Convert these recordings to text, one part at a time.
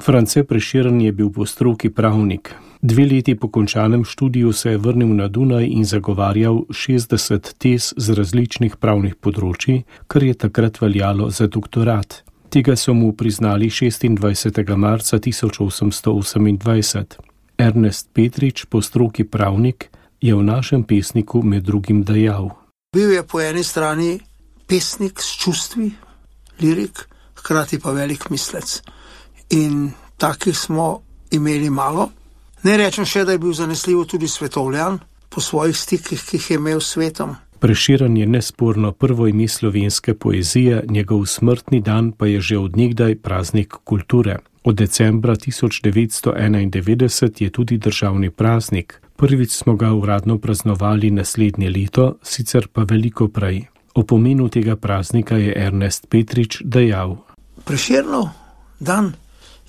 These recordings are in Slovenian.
France Prešeren je bil po stroki pravnik. 2 leti po končanem študiju se je vrnil na Dunaj in zagovarjal 60 tez z različnih pravnih področji, kar je takrat veljalo za doktorat. Tega so mu priznali 26. marca 1828. Ernest Petrič, po stroki pravnik, je v našem pesniku med drugim dejal: Bil je po eni strani pesnik s čustvi, lirik, hkrati pa velik mislec. In takih smo imeli malo. Ne rečem še, da je bil zanesljivo tudi svetovljan po svojih stikih, ki jih je imel s svetom. Prešeren je nesporno prvo ime slovenske poezije, njegov smrtni dan pa je že od nekdaj praznik kulture. Od decembra 1991 je tudi državni praznik. Prvič smo ga uradno praznovali naslednje leto, sicer pa veliko prej. O pomenu tega praznika je Ernest Petrič dejal: Prešernov dan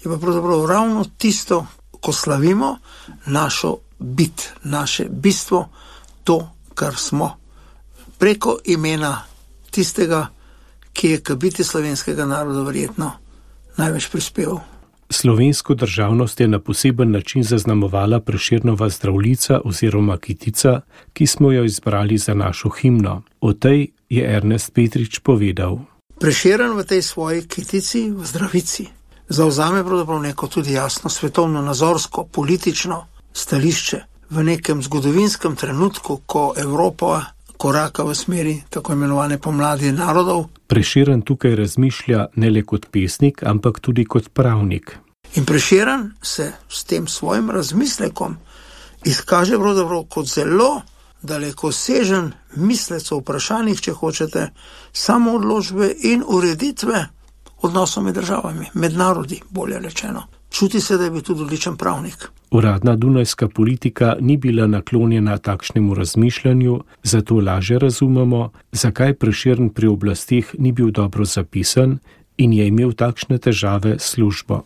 je pa pravzaprav ravno tisto, ko slavimo našo bit, naše bistvo, to, kar smo. Preko imena tistega, ki je k biti slovenskega naroda verjetno največ prispeval. Slovensko državnost je na poseben način zaznamovala Prešernova Zdravljica oziroma Kitica, ki smo jo izbrali za našo himno. O tej je Ernest Petrič povedal: Prešeren v tej svoji Kitici, v Zdravici, zavzame pravzaprav neko tudi jasno svetovno nazorsko, politično stališče v nekem zgodovinskem trenutku, ko Evropa koraka v smeri tako imenovane pomladi narodov. Prešeren tukaj razmišlja ne le kot pesnik, ampak tudi kot pravnik. In Prešeren se s tem svojim razmislekom izkaže pravzaprav kot zelo dalekosežen mislec o vprašanjih, če hočete, samoodločbe in ureditve odnosov med državami, med narodi, bolje rečeno. Čuti se, da je bil tudi odličen pravnik. Uradna dunajska politika ni bila naklonjena takšnemu razmišljanju, zato lažje razumemo, zakaj Prešeren pri oblasteh ni bil dobro zapisan in je imel takšne težave s službo.